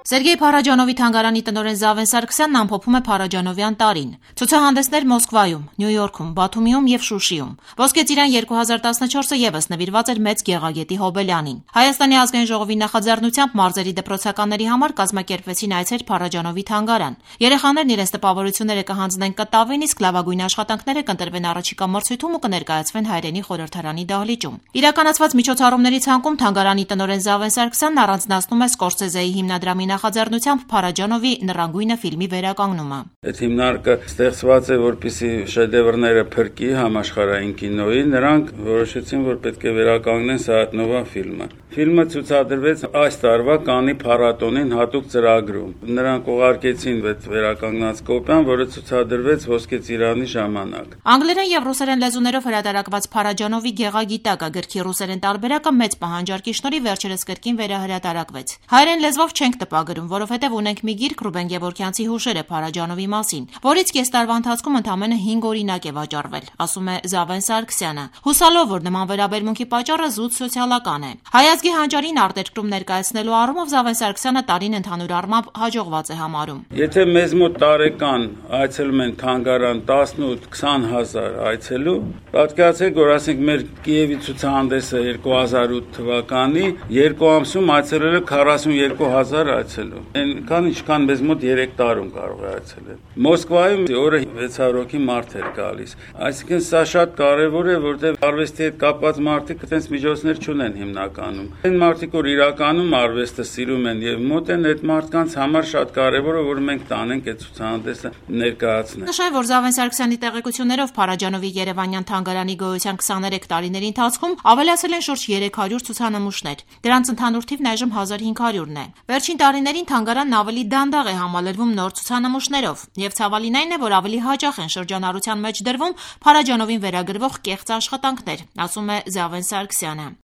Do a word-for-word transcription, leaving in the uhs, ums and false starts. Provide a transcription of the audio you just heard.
Սերգեյ Փարաջանովի թանգարանի տնօրեն Զավեն Սարգսյանն ամփոփում է Փարաջանովյան տարին։ Ցուցահանդեսներ Մոսկվայում, Նյու Յորքում, Բաթումիում եւ Շուշիում։ Ոսկե ծիրան երկու հազար տասնչորսը եւս նվիրված էր մեծ Գեղագետի Հոբելյանին։ Հայաստանի ազգային ժողովի նախաձեռնությամբ մարզերի դպրոցականների համար կազմակերպվեցին այցեր Փարաջանովի թանգարան։ Երեխաներն իրենց տպավորությունները կհանձնեն կտավին, իսկ լավագույն աշխատանքները կընտրվեն առաջիկա մրցույթում ու կներկայացվեն հայրենի խորհրդարանի դահլիճում։ Իրականացված միջոցառումների ցանկում թանգարանի տնօրեն Զավեն Սարգսյանն առանձնացնում է Սկորսեզեի հիմնադրամի նախաձեռնությամբ Փարաջանովի նռանգույնը ֆիլմի վերականգնումը։ Այդ հիմնարկը ստեղծված է, որպեսզի շեդևրները փրկի համաշխարհային կինոյի, նրանք որոշեցին, որ պետք է վերականգնեն Սայաթ-Նովա ֆիլմը։ Ֆիլմը ցուցադրվեց այս տարվա Կաննի փառատոնին հատուկ ծրագրում։ Նրանք ուղարկեցին այդ վերականգնած կոպիան, որը ցուցադրվեց Ոսկե ծիրանի ժամանակ։ Անգլերեն եւ ռուսերեն լեզուներով հրատարակված Փարաջանովի Գեղագիտակը գրքի ռուսերեն տարբերակը մեծ պահանջարկի շնորհիվ վերջերս կրկին վերահրատարակվեց։ Հայերեն լեզվով չենք տպագրում, որովհետև ունենք մի գիրք Ռուբեն Գևորգյանցի հուշերը Փարաջանովի մասին, որից կես տարվա ընթացքում ընդամենը հինգ օրինակ է վաճառվել, ասում է Զավեն Սարգսյանը, հուսալով, որ նման վերաբերմունքի պատճառը զուտ սոցիալական է։ Հայազգի հանճարին արտերկրում ներկայացնելու առումով Զավեն Սարգսյանը տարին ընդհանուր առմամբ հաջողված է համարում։ Եթե մեզ մոտ տարեկան այցելում են թանգարան տասնութ-քսան հազար այցելու, պատկերացրեք, որ ասենք մեր Կիևի ցուցահանդեսը երկու հազար ութ թվականի երկու ամսում այցելել է քառասունյոթ հազար այցելու։ Այնքան ինչքան մեզ մոտ երեք տարում կարող է այցելել։ Մոսկվայում օրը վեց հարյուր հոգի մարդ էր գալիս։ Այսինքն սա շատ կարևոր է, որտեղ արվեստի հետ կապված մարդիկ այդպես միջոցներ չունեն հիմնականում։ Այն մարդիկ, որ իրականում արվեստը սիրում են եւ մոտ են, այդ մարդկանց համար շատ կարևոր է, որ մենք տանենք այդ ցուցահանդեսը ներկայացնենք։ Նշեմ, որ Զավեն Սարգսյանի տեղեկություններով Փարաջանովի Երևանյան թանգարանի գոյության քսաներեք տարիների ընթացքում ավելացել են շուրջ երեք հարյուր ցուցանմուշներ։ Դրանց ընդհանուր թիվն այժմ հազար հինգ հարյուրն է։ Վերջին տարիներին թանգարանն ավելի դանդաղ է համալրվում նոր ցուցանմուշներով, եւ ցավալին այն է, որ ավելի հաճախ են շրջանառության մեջ դրվում Փարաջանովին վերագրվող կեղծ աշխատանքներ, ասում է Զավեն Սարգսյանը։